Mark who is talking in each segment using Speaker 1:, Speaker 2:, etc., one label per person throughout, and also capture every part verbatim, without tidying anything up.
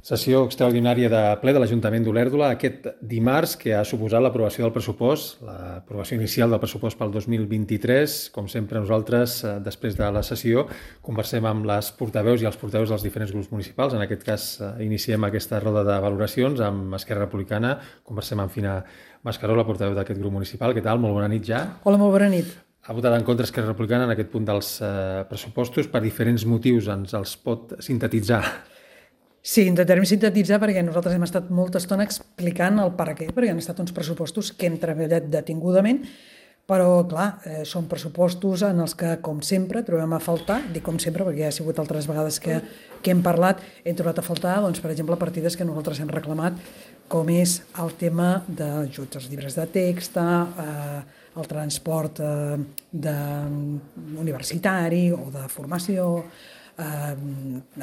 Speaker 1: Sessió extraordinària de ple de l'Ajuntament d'Olèrdola aquest dimarts, que ha suposat l'aprovació del pressupost, l'aprovació inicial del pressupost pel dos mil vint-i-tres. Com sempre, nosaltres, després de la sessió, conversem amb les portaveus i els portaveus dels diferents grups municipals. En aquest cas, iniciem aquesta roda de valoracions amb Esquerra Republicana. Conversem amb Fina Mascaró, la portaveu d'aquest grup municipal. Què tal? Molt bona nit ja.
Speaker 2: Hola, molt bona nit.
Speaker 1: Ha votat en contra Esquerra Republicana en aquest punt dels eh, pressupostos per diferents motius. Ens els pot sintetitzar?
Speaker 2: Sí, intentarem sintetitzar perquè nosaltres hem estat molta estona explicant el per què, perquè han estat uns pressupostos que hem treballat detingudament, però, clar, eh, són pressupostos en els que, com sempre, trobem a faltar, dic com sempre perquè ja ha sigut altres vegades que, que hem parlat, hem trobat a faltar, doncs, per exemple, partides que nosaltres hem reclamat, com és el tema d'ajuts als llibres de text, eh, el transport eh, de, universitari o de formació, eh,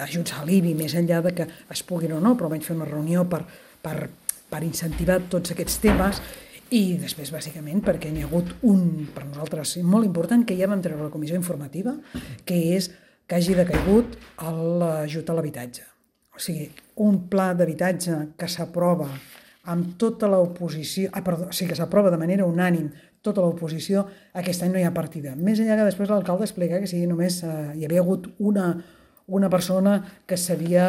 Speaker 2: ajuts a l'I B I, més enllà de que es puguin o no, però almenys fer una reunió per, per, per incentivar tots aquests temes. I després, bàsicament, perquè n'hi ha hagut un, per nosaltres, molt important, que ja vam treure a la comissió informativa, que és que hagi decaigut l'ajut a l'habitatge. O sigui, un pla d'habitatge que s'aprova amb tota l'oposició, ah, perdó, o sigui, que s'aprova de manera unànim tota l'oposició, aquest any no hi ha partida. Més enllà que després l'alcalde explica que sí, només eh, hi havia hagut una, una persona que s'havia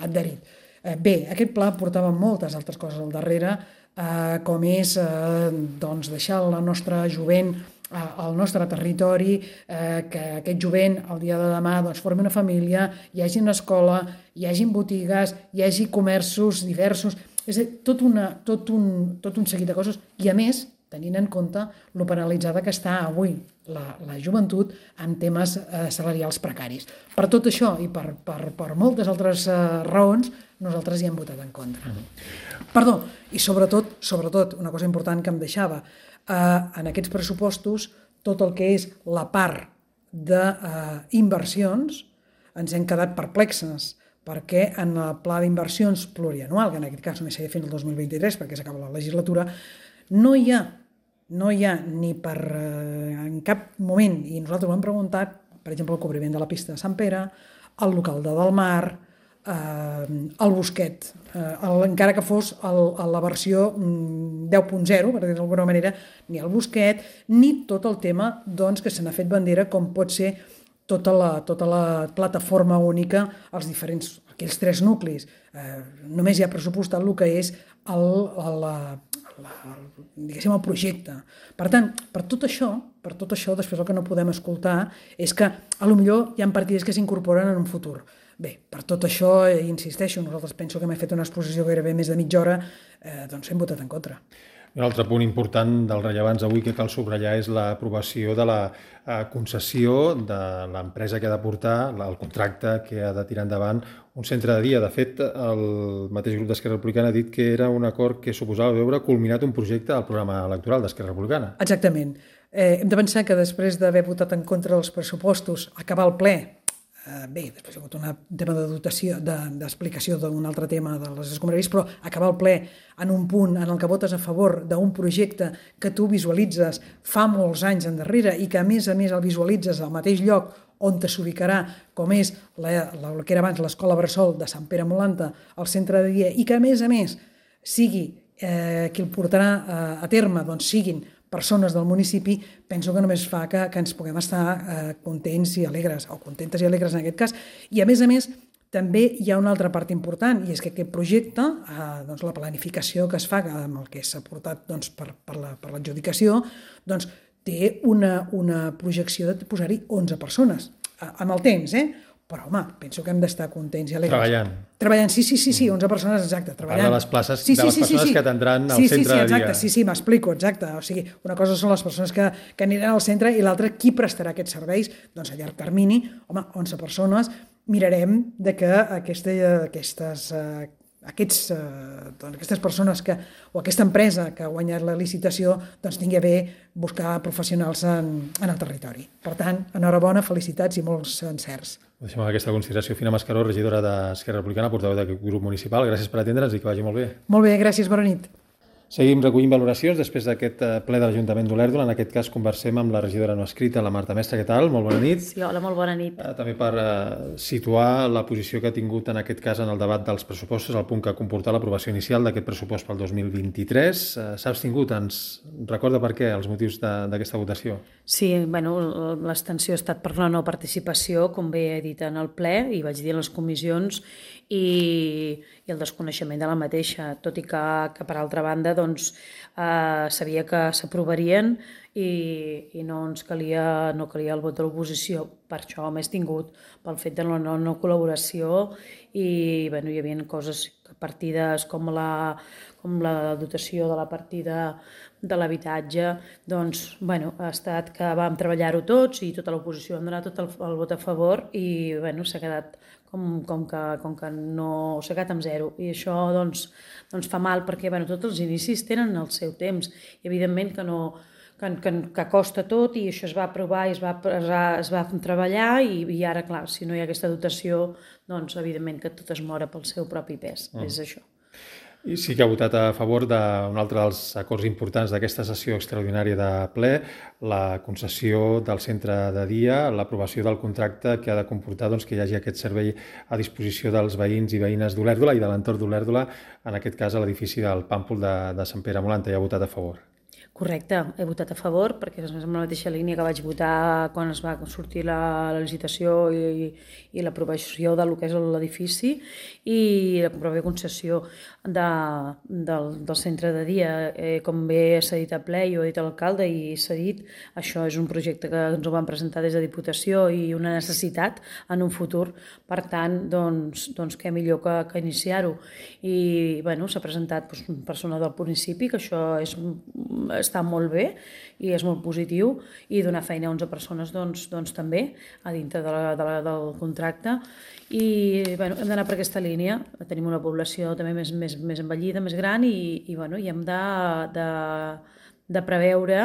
Speaker 2: adherit. Eh, bé, aquest pla portava moltes altres coses al darrere, eh, com és eh, doncs deixar la nostra jovent eh, al nostre territori, eh, que aquest jovent el dia de demà doncs, formi una família, hi hagi una escola, hi hagi botigues, hi hagi comerços diversos, és a dir, tot, una, tot, un, tot un seguit de coses, i a més, tenint en compte lo penalitzada que està avui la, la joventut en temes eh, salarials precaris. Per tot això i per, per, per moltes altres eh, raons, nosaltres hi hem votat en contra. Mm-hmm. Perdó, i sobretot, sobretot, una cosa important que em deixava, eh, en aquests pressupostos, tot el que és la part d'inversions, eh, ens hem quedat perplexes, perquè en el pla d'inversions plurianual, que en aquest cas només seria fins al dos mil vint-i-tres, perquè s'acaba la legislatura, no hi ha no hi ha ni per eh, en cap moment, i nosaltres ho hem preguntat, per exemple, el cobriment de la pista de Sant Pere, el local de Delmar, eh, el Bosquet, eh, el, encara que fos el, la versió mm, deu punt zero, per dir d'alguna manera, ni el Bosquet, ni tot el tema doncs, que se n'ha fet bandera, com pot ser tota la, tota la plataforma única, els diferents, aquells tres nuclis. Eh, només hi ha pressupostat el que és el, el, la, diguéssim, el projecte. Per tant, per tot això, per tot això, després el que no podem escoltar és que a lo millor hi ha partides que s'incorporen en un futur. Bé, per tot això, eh, insisteixo, nosaltres penso que m'he fet una exposició gairebé més de mitja hora, eh, doncs hem votat en contra.
Speaker 1: Un altre punt important dels rellevants avui que cal subratllar és l'aprovació de la concessió de l'empresa que ha de portar, el contracte que ha de tirar endavant un centre de dia. De fet, el mateix grup d'Esquerra Republicana ha dit que era un acord que suposava veure culminat un projecte al programa electoral d'Esquerra Republicana.
Speaker 2: Exactament. Eh, hem de pensar que després d'haver votat en contra dels pressupostos, acabar el ple, Uh, bé, després hi ha hagut un tema de dotació, d'explicació de, d'un altre tema de les escombraries, però acabar el ple en un punt en el que votes a favor d'un projecte que tu visualitzes fa molts anys endarrere i que a més a més el visualitzes al mateix lloc on te s'ubicarà, com és la, la, el que era abans l'escola Bressol de Sant Pere Molanta, el centre de dia, i que a més a més sigui eh, qui el portarà eh, a terme, doncs siguin persones del municipi, penso que només fa que, que ens puguem estar eh, contents i alegres, o contentes i alegres en aquest cas. I a més a més, també hi ha una altra part important, i és que aquest projecte, eh, doncs la planificació que es fa amb el que s'ha portat doncs, per, per, la, per l'adjudicació, doncs té una, una projecció de posar-hi onze persones, eh, amb el temps, eh? Però, home, penso que hem d'estar contents i alegres.
Speaker 1: Treballant.
Speaker 2: Treballant, sí, sí, sí, sí, onze persones, exacte, treballant.
Speaker 1: De les places,
Speaker 2: sí, sí,
Speaker 1: de les
Speaker 2: sí,
Speaker 1: persones
Speaker 2: sí, sí.
Speaker 1: que atendran al
Speaker 2: sí,
Speaker 1: centre
Speaker 2: sí, sí,
Speaker 1: de dia.
Speaker 2: Exacte, sí, sí, m'explico, exacte. O sigui, una cosa són les persones que, que aniran al centre i l'altra, qui prestarà aquests serveis? Doncs a llarg termini, home, onze persones, mirarem de que aquesta, aquestes, eh, aquests, eh, doncs aquestes persones que, o aquesta empresa que ha guanyat la licitació doncs tingui a bé buscar professionals en, en el territori. Per tant, enhorabona, felicitats i molts encerts.
Speaker 1: Deixem aquesta consideració. Fina Mascaró, regidora d'Esquerra Republicana, portaveu d'aquest grup municipal. Gràcies per atendre'ns i que vagi molt bé.
Speaker 2: Molt bé, gràcies, bona nit.
Speaker 1: Seguim recollint valoracions després d'aquest ple de l'Ajuntament d'Olèrdola. En aquest cas conversem amb la regidora no escrita, la Marta Mestre. Què tal? Molt bona nit.
Speaker 3: Sí, hola, molt bona nit.
Speaker 1: També per situar la posició que ha tingut en aquest cas en el debat dels pressupostos, el punt que ha comportat l'aprovació inicial d'aquest pressupost pel dos mil vint-i-tres. S'ha abstingut, ens recorda per què, els motius d'aquesta votació?
Speaker 3: Sí, bueno, l'abstenció ha estat per la no participació, com bé he dit en el ple, i vaig dir en les comissions, i, i el desconeixement de la mateixa, tot i que, que per altra banda doncs, eh, sabia que s'aprovarien i, i no ens calia, no calia el vot de l'oposició. Per això m'he tingut pel fet de la no, no col·laboració i bueno, hi havia coses, partides com la, com la dotació de la partida de l'habitatge, doncs, bueno, ha estat que vam treballar-ho tots i tota l'oposició vam donar tot el, el vot a favor i bueno, s'ha quedat com, com, que, com que no s'ha quedat amb zero. I això doncs, doncs fa mal perquè bueno, tots els inicis tenen el seu temps i evidentment que no que, que, que costa tot i això es va aprovar i es va, es va, es va treballar i, i ara, clar, si no hi ha aquesta dotació, doncs evidentment que tot es mora pel seu propi pes, mm. és això.
Speaker 1: I sí que ha votat a favor d'un altre dels acords importants d'aquesta sessió extraordinària de ple, la concessió del centre de dia, l'aprovació del contracte que ha de comportar doncs, que hi hagi aquest servei a disposició dels veïns i veïnes d'Olèrdola i de l'entorn d'Olèrdola, en aquest cas a l'edifici del Pàmpol de, de Sant Pere Molanta. Hi ha votat a favor.
Speaker 3: Correcte, he votat a favor perquè és en la mateixa línia que vaig votar quan es va sortir la, la licitació i, i l'aprovació del que és l'edifici i la pròpia concessió de, del, del centre de dia. Eh, com bé s'ha dit a ple i ho ha dit l'alcalde i s'ha dit, això és un projecte que ens ho van presentar des de Diputació i una necessitat en un futur. Per tant, doncs, doncs què millor que, que iniciar-ho. I bueno, s'ha presentat doncs, una persona del municipi, que això és està molt bé i és molt positiu i donar feina a onze persones doncs, doncs també a dintre de la, de la, del contracte i bueno, hem d'anar per aquesta línia, tenim una població també més, més, més envellida, més gran i, i, bueno, i hem de, de, de preveure,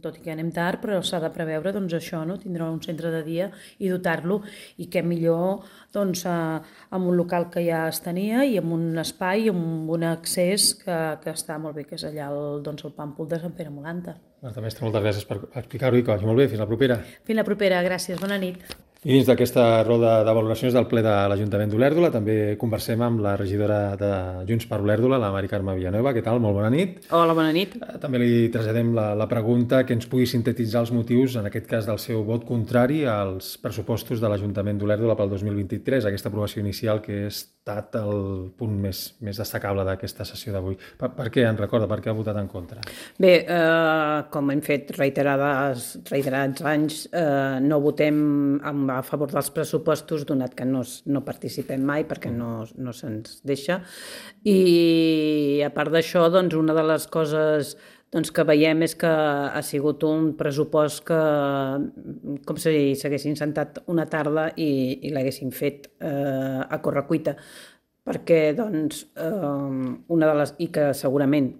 Speaker 3: tot i que anem tard, però s'ha de preveure doncs, això, no? Tindrà un centre de dia i dotar-lo i què millor doncs, amb un local que ja es tenia i amb un espai, amb un accés que, que està molt bé, que és allà el, doncs, el Pàmpol de Sant Pere Molanta.
Speaker 1: Marta Mestre, moltes gràcies per explicar-ho i que vagi molt bé. Fins la propera.
Speaker 3: Fins la propera, gràcies. Bona nit.
Speaker 1: I dins d'aquesta roda de valoracions del ple de l'Ajuntament d'Olèrdola també conversem amb la regidora de Junts per Olèrdola, la Mari Carme Villanueva. Què tal? Molt bona nit.
Speaker 4: Hola, bona nit.
Speaker 1: També li traslladem la, la pregunta que ens pugui sintetitzar els motius, en aquest cas del seu vot contrari als pressupostos de l'Ajuntament d'Olèrdola pel dos mil vint-i-tres, aquesta aprovació inicial que ha estat el punt més, més destacable d'aquesta sessió d'avui. Per, per què en recorda? Per què ha votat en contra?
Speaker 4: Bé, eh, com hem fet reiterades, reiterats anys, eh, no votem amb a favor dels pressupostos, donat que no, no participem mai perquè no, no se'ns deixa. I a part d'això, doncs, una de les coses doncs, que veiem és que ha sigut un pressupost que com si s'haguessin sentat una tarda i, i l'haguessin fet eh, a correcuita, perquè doncs, eh, una de les, i que segurament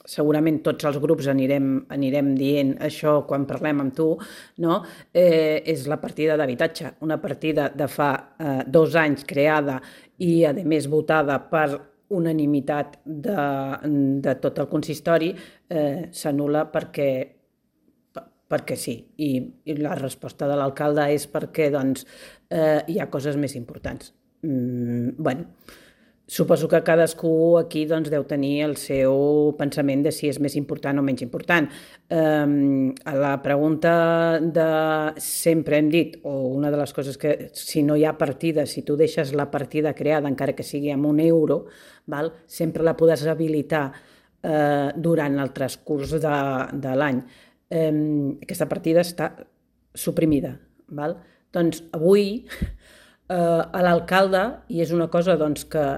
Speaker 4: segurament tots els grups anirem, anirem dient això quan parlem amb tu, no? eh, és la partida d'habitatge. Una partida de fa eh, dos anys creada i, a més, votada per unanimitat de, de tot el consistori, eh, s'anul·la perquè, perquè sí. I, I la resposta de l'alcalde és perquè doncs, eh, hi ha coses més importants. Mm, bueno, suposo que cadascú aquí doncs, deu tenir el seu pensament de si és més important o menys important. Um, a la pregunta de sempre hem dit, o una de les coses que si no hi ha partida, si tu deixes la partida creada, encara que sigui amb un euro, val, sempre la podràs habilitar uh, durant el transcurs de, de l'any. Um, aquesta partida està suprimida. Val? Doncs avui uh, a l'alcalde, i és una cosa doncs, que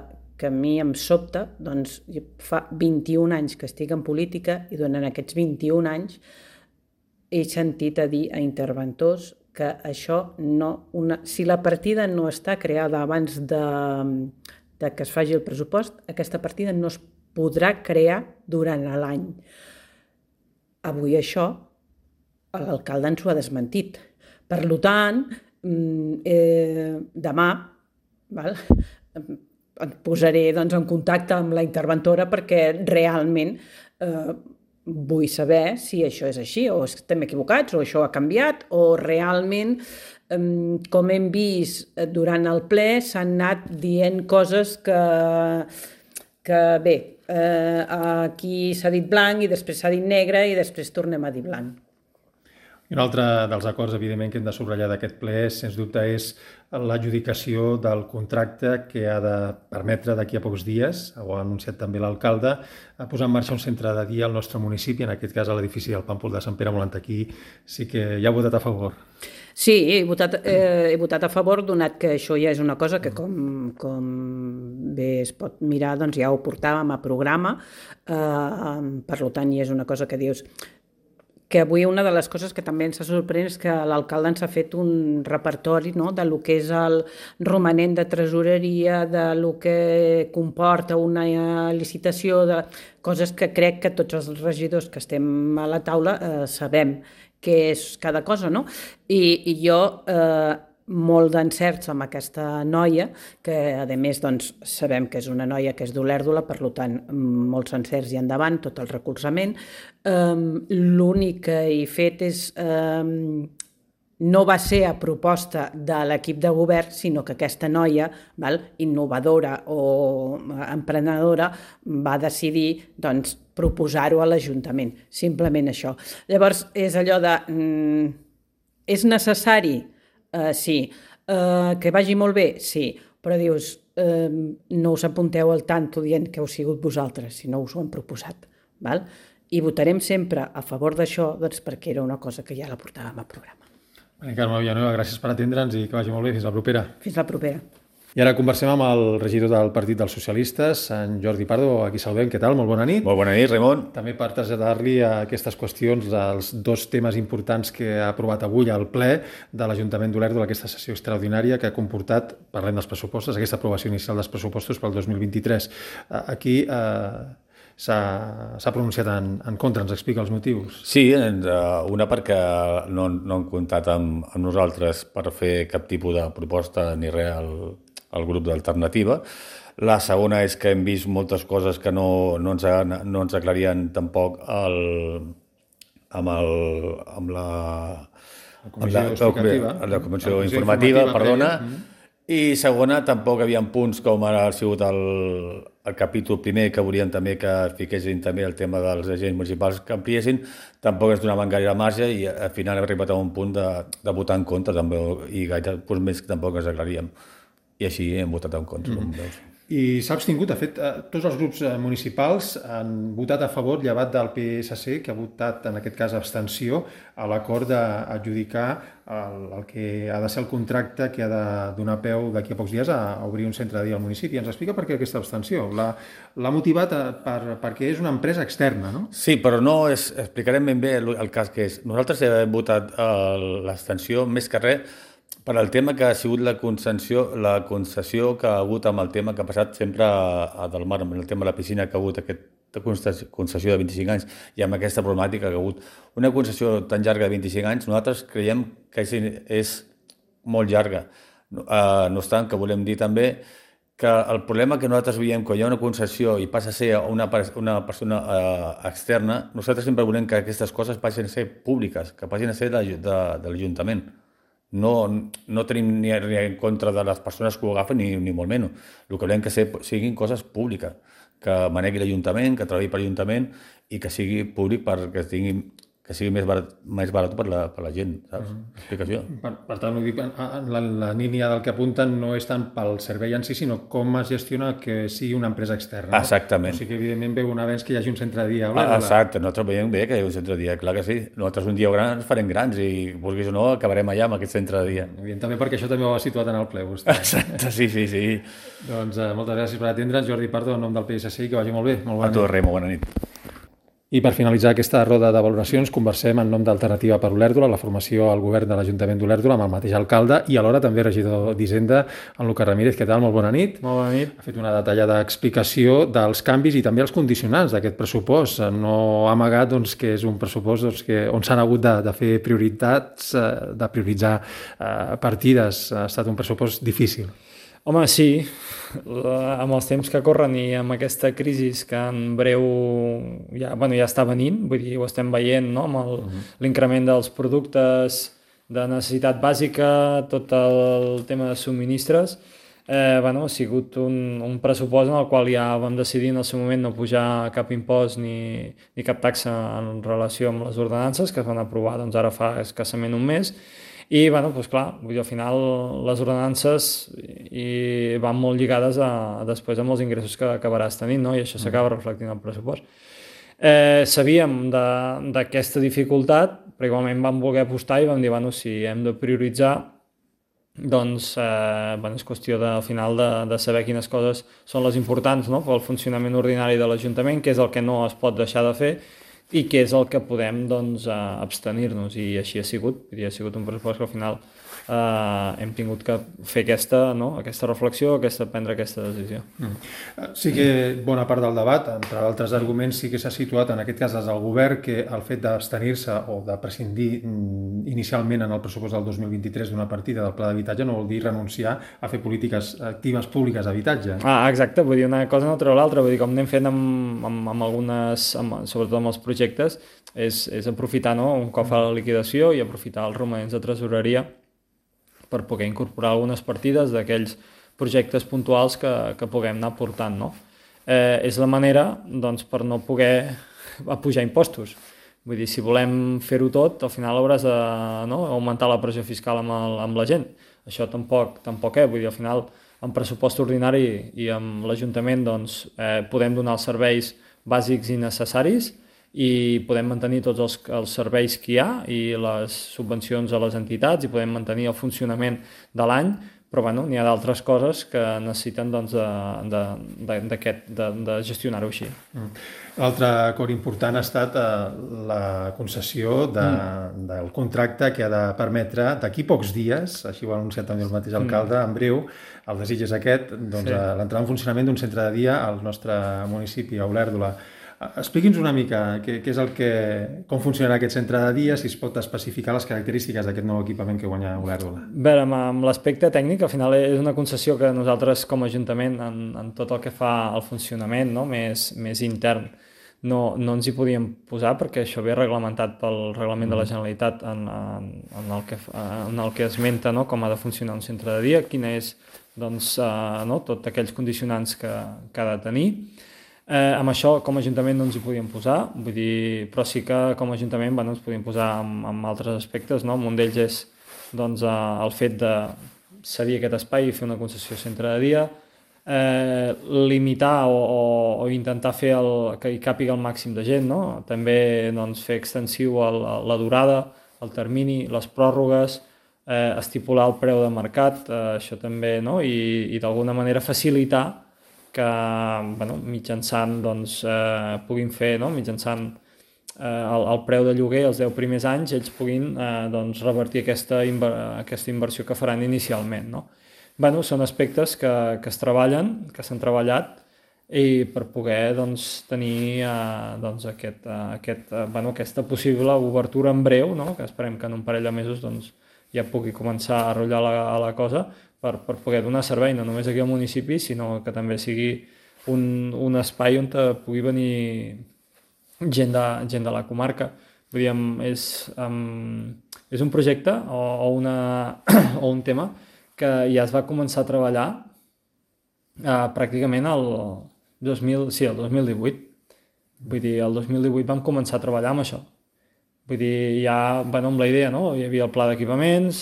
Speaker 4: que a mi em sobta, doncs fa vint-i-un anys que estic en política i durant aquests vint-i-un anys he sentit a dir a interventors que això no... Una, si la partida no està creada abans de, de que es faci el pressupost, aquesta partida no es podrà crear durant l'any. Avui això l'alcalde ens ho ha desmentit. Per tant, eh, demà, val? et posaré doncs, en contacte amb la interventora perquè realment eh, vull saber si això és així, o estem equivocats, o això ha canviat, o realment, eh, com hem vist durant el ple, s'han anat dient coses que, que bé, eh, aquí s'ha dit blanc i després s'ha dit negre i després tornem a dir blanc.
Speaker 1: I un altre dels acords, evidentment, que hem de subratllar d'aquest ple, sens dubte, és l'adjudicació del contracte que ha de permetre d'aquí a pocs dies, ho ha anunciat també l'alcalde, a posar en marxa un centre de dia al nostre municipi, en aquest cas a l'edifici del Pàmpol de Sant Pere Molant. Aquí sí que hi ha votat a favor.
Speaker 4: Sí, he votat, eh, he votat a favor, donat que això ja és una cosa que, com, com bé es pot mirar, doncs ja ho portàvem a programa, eh, per tant, ja és una cosa que dius... que avui una de les coses que també ens ha sorprès és que l'alcalde ens ha fet un repertori, no?, de lo que és el romanent de tresoreria, de lo que comporta una licitació, de coses que crec que tots els regidors que estem a la taula eh, sabem què és cada cosa, no? I, i jo... Eh, molt d'encerts amb aquesta noia, que a més doncs, sabem que és una noia que és d'Olèrdola, per tant, molts encerts i endavant, tot el recolzament. Um, L'únic que he fet és... Um, no va ser a proposta de l'equip de govern, sinó que aquesta noia, val, innovadora o emprenedora, va decidir doncs, proposar-ho a l'Ajuntament. Simplement això. Llavors, és allò de... Mm, és necessari? Uh, sí. Uh, que vagi molt bé? Sí. Però dius, uh, no us apunteu al tanto dient que heu sigut vosaltres, si no us ho han proposat. Val? I votarem sempre a favor d'això doncs, perquè era una cosa que ja la portàvem al programa.
Speaker 1: Bé, Carme Villanueva, gràcies per atendre'ns i que vagi molt bé. Fins la propera.
Speaker 4: Fins la propera.
Speaker 1: I ara conversem amb el regidor del Partit dels Socialistes, en Jordi Pardo. Aquí saludem. Què tal? Molt bona nit.
Speaker 5: Molt bona nit, Ramon.
Speaker 1: També per traslladar-li a aquestes qüestions dels dos temes importants que ha aprovat avui al ple de l'Ajuntament d'Olèrdola, aquesta sessió extraordinària que ha comportat, parlem dels pressupostos, aquesta aprovació inicial dels pressupostos pel dos mil vint-i-tres. Aquí eh, s'ha pronunciat en, en contra. Ens explica els motius?
Speaker 5: Sí, una perquè no, no han comptat amb, amb nosaltres per fer cap tipus de proposta ni res al, al grup d'alternativa. La segona és que hem vist moltes coses que no, no, ens, no ens aclarien tampoc el, amb, el, amb la,
Speaker 1: la comissió,
Speaker 5: amb la, la, la, la comissió informativa, informativa perdona. Mm. I segona, tampoc hi havia punts com ara ha sigut el, el capítol primer, que volien també que fiquessin també el tema dels agents municipals que ampliessin, tampoc es donaven gaire marge i al final hem arribat a un punt de, de votar en contra també, i gaire punts més que tampoc ens aclaríem. I així hem votat en contra. Mm.
Speaker 1: I s'ha abstingut, de fet, tots els grups municipals han votat a favor, llevat del P S C, que ha votat, en aquest cas, abstenció, a l'acord d'adjudicar el, el que ha de ser el contracte que ha de donar peu d'aquí a pocs dies a obrir un centre de dia al municipi. Ens explica per què aquesta abstenció? L'ha motivat per, perquè és una empresa externa, no?
Speaker 5: Sí, però no és, explicarem ben bé el, el cas que és. Nosaltres hem votat l'abstenció més que res per al tema que ha sigut la concessió, la concessió que ha hagut amb el tema que ha passat sempre a, a Del Mar, amb el tema de la piscina que ha hagut aquesta concessió de vint-i-cinc anys i amb aquesta problemàtica que ha hagut. Una concessió tan llarga de vint-i-cinc anys, nosaltres creiem que és, és molt llarga. Uh, no obstant, que volem dir també que el problema que nosaltres veiem quan hi ha una concessió i passa a ser una, una persona uh, externa, nosaltres sempre volem que aquestes coses passin a ser públiques, que passin a ser de, de, de l'Ajuntament. No, no tenim ni en contra de les persones que ho agafen ni, ni molt menys. El que volem que siguin coses públiques, que manegui l'Ajuntament, que treballi per l'Ajuntament i que sigui públic perquè tingui, que sigui més barat, més barat per la, per la gent, saps? Uh-huh. Explicació. Per,
Speaker 1: per tant, ho dic, en la, la línia del que apunten no és tant pel servei en si, sinó com es gestiona que sigui una empresa externa. No?
Speaker 5: Exactament.
Speaker 1: O sigui que, evidentment, veu un avenç que hi hagi un centre de dia.
Speaker 5: Ah, exacte, nosaltres veiem bé que hi ha un centre de dia, clar que sí. Nosaltres un dia gran ens farem grans i, vulguis o no, acabarem allà amb aquest centre de dia.
Speaker 1: Evident, també perquè això també ho ha situat en el ple, vostè.
Speaker 5: Exacte, sí, sí, sí.
Speaker 1: Doncs eh, moltes gràcies per atendre'ns, Jordi Pardo, en nom del P S C, i que vagi molt bé. Molt bona
Speaker 5: a tu, Remo, bona nit.
Speaker 1: I per finalitzar aquesta roda de valoracions, conversem en nom d'Alternativa per Olèrdola, la formació al govern de l'Ajuntament d'Olèrdola, amb el mateix alcalde i alhora també regidor d'Hisenda, en Lucas Ramírez. Què tal? Molt bona nit.
Speaker 6: Molt bona nit.
Speaker 1: Ha fet una detallada explicació dels canvis i també els condicionants d'aquest pressupost. No ha amagat doncs, que és un pressupost doncs, que, on s'han hagut de, de fer prioritats, de prioritzar eh, partides. Ha estat un pressupost difícil.
Speaker 6: Home, sí, amb els temps que corren i amb aquesta crisi que en breu ja, bueno, ja està venint, vull dir, ho estem veient, no? Amb el, uh-huh. l'increment dels productes de necessitat bàsica, tot el tema de subministres, eh, bueno, ha sigut un, un pressupost en el qual ja vam decidir en el seu moment no pujar cap impost ni, ni cap taxa en relació amb les ordenances que es van aprovar doncs, ara fa escassament un mes. I, bueno, doncs clar, vull dir, al final les ordenances i van molt lligades a, a després amb els ingressos que acabaràs tenint, no? I això s'acaba reflectint al pressupost. Eh, sabíem d'aquesta dificultat, però igualment vam voler apostar i vam dir, bueno, si hem de prioritzar, doncs eh, bueno, és qüestió de, al final de, de saber quines coses són les importants, no? Pel funcionament ordinari de l'Ajuntament, què és el que no es pot deixar de fer, i què és el que podem doncs, abstenir-nos, i així ha sigut. Ha sigut un pressupost que al final eh, hem tingut que fer aquesta, no? aquesta reflexió, aquesta, prendre aquesta decisió.
Speaker 1: Mm. Sí que bona part del debat, entre altres arguments, sí que s'ha situat en aquest cas des del govern que el fet d'abstenir-se o de prescindir inicialment en el pressupost del dos mil vint-i-tres d'una partida del pla d'habitatge no vol dir renunciar a fer polítiques actives públiques d'habitatge.
Speaker 6: Ah, exacte, vull dir, una cosa no treu l'altra, vull dir, com anem fent amb, amb, amb algunes, amb, sobretot amb els projectes, és, és aprofitar, no? Un cop fa la liquidació i aprofitar els romanents de tresoreria per poder incorporar algunes partides d'aquells projectes puntuals que, que puguem anar portant, no? Eh, és la manera, doncs, per no poder pujar impostos. Vull dir, si volem fer-ho tot, al final hauràs de, no? augmentar la pressió fiscal amb, el, amb la gent. Això tampoc, tampoc és, vull dir, al final, amb pressupost ordinari i amb l'Ajuntament, doncs, eh, podem donar els serveis bàsics i necessaris, i podem mantenir tots els, els serveis que hi ha i les subvencions a les entitats i podem mantenir el funcionament de l'any, però bueno, n'hi ha d'altres coses que necessiten doncs, de, de, de, de, de gestionar-ho així.
Speaker 1: Mm. L'altre acord important ha estat eh, la concessió de, mm. del contracte que ha de permetre d'aquí pocs dies, així ho ha anunciat també el mateix alcalde, mm. en breu, el desig és aquest, doncs, sí. l'entrada en funcionament d'un centre de dia al nostre municipi, a Olèrdola. Expliqui'ns una mica què, què és el que, com funcionarà aquest centre de dia, si es pot especificar les característiques d'aquest nou equipament que guanya Olèrdola.
Speaker 6: Bé, amb, amb l'aspecte tècnic, al final és una concessió que nosaltres com a Ajuntament, en, en tot el que fa al funcionament, no? més, més intern, no, no ens hi podíem posar perquè això ve reglamentat pel Reglament de la Generalitat en, en, en, el, que, en el que esmenta, no? Com ha de funcionar un centre de dia, quina és doncs, uh, no? tots aquells condicionants que, que ha de tenir. Eh, amb això, com a Ajuntament, no ens hi podíem posar, vull dir, però sí que com a Ajuntament bueno, ens podíem posar amb, amb altres aspectes, no? Un d'ells és doncs, eh, el fet de cedir aquest espai i fer una concessió centre de dia, eh, limitar o, o, o intentar fer el, que hi càpiga el màxim de gent, no? També doncs, fer extensiu el, la durada, el termini, les pròrrogues, eh, estipular el preu de mercat, eh, això també, no? I, i d'alguna manera facilitar que bueno, mitjançant doncs, eh, puguin fer, no? mitjançant eh, el, el preu de lloguer els deu primers anys, ells puguin eh, doncs, revertir aquesta, inver aquesta inversió que faran inicialment. No? Bueno, són aspectes que, que es treballen, que s'han treballat, i per poder doncs, tenir eh, doncs, aquest, eh, aquest, eh, bueno, aquesta possible obertura en breu, no? Que esperem que en un parell de mesos doncs, ja pugui començar a rotllar la, a la cosa, Per, per poder donar servei no només aquí al municipi, sinó que també sigui un, un espai on pugui venir gent de, gent de la comarca. Vull dir, és, um, és un projecte o, o, una, o un tema que ja es va començar a treballar uh, pràcticament el dos mil, sí, el dos mil divuit. Vull dir, el dos mil divuit vam començar a treballar amb això. Vull dir, ja bueno, amb la idea, no? Hi havia el pla d'equipaments.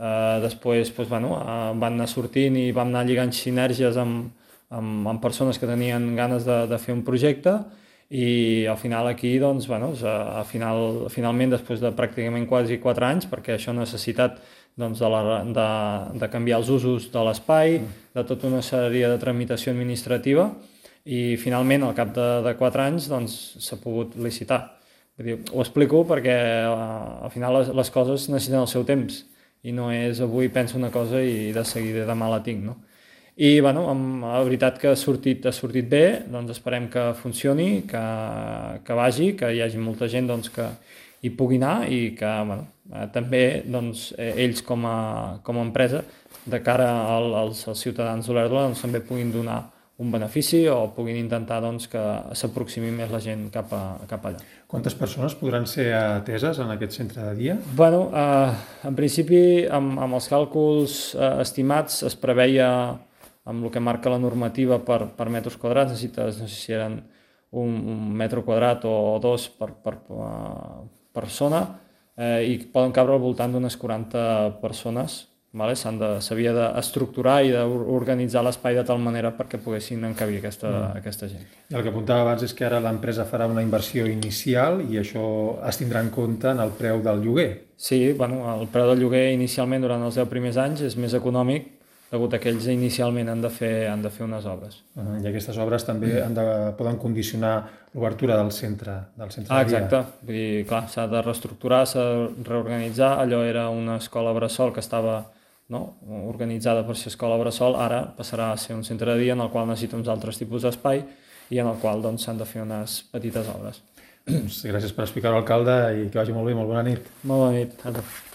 Speaker 6: Uh, després doncs, bueno, uh, van anar sortint i vam anar lligant sinergies amb, amb, amb persones que tenien ganes de, de fer un projecte i al final aquí, doncs, bueno, a final, finalment, després de pràcticament quasi quatre anys, perquè això ha necessitat doncs, de, la, de, de canviar els usos de l'espai, de tota una sèrie de tramitació administrativa i finalment, al cap de, de quatre anys, doncs, s'ha pogut licitar. Vull dir, ho explico perquè uh, al final les, les coses necessiten el seu temps i no és avui penso una cosa i de seguida demà la tinc, no? I, bueno, amb, la veritat que ha sortit, ha sortit bé, doncs esperem que funcioni, que, que vagi, que hi hagi molta gent doncs, que hi pugui anar i que, bueno, eh, també doncs, ells com a, com a empresa de cara al, als, als ciutadans d'Olèrdola doncs, també puguin donar un benefici o puguin intentar doncs, que s'aproximi més la gent cap, a, cap allà.
Speaker 1: Quantes persones podran ser ateses en aquest centre de dia?
Speaker 6: Bueno, eh, en principi, amb, amb els càlculs eh, estimats, es preveia, amb el que marca la normativa per, per metres quadrats, necessites, no sé si eren un, un metre quadrat o dos per, per, per persona, eh, i poden cabre al voltant d'unes quaranta persones. Vale? S'havia d'estructurar i d'organitzar l'espai de tal manera perquè poguessin encabir aquesta, mm. aquesta gent.
Speaker 1: I el que apuntava abans és que ara l'empresa farà una inversió inicial i això es tindrà en compte en el preu del lloguer.
Speaker 6: Sí, bueno, el preu del lloguer inicialment durant els deu primers anys és més econòmic degut a que ells inicialment han de fer, han de fer unes obres.
Speaker 1: Uh, I aquestes obres també han de, poden condicionar l'obertura del centre, del centre
Speaker 6: ah,
Speaker 1: de dia.
Speaker 6: Exacte. Vull dir, clar, s'ha de reestructurar, s'ha de reorganitzar. Allò era una escola bressol que estava no? organitzada per ser escola bressol, ara passarà a ser un centre de dia en el qual necessita uns altres tipus d'espai i en el qual doncs, s'han de fer unes petites obres.
Speaker 1: Gràcies per explicar-ho, alcalde, i que vagi molt bé, molt bona nit.
Speaker 6: Molt bona nit.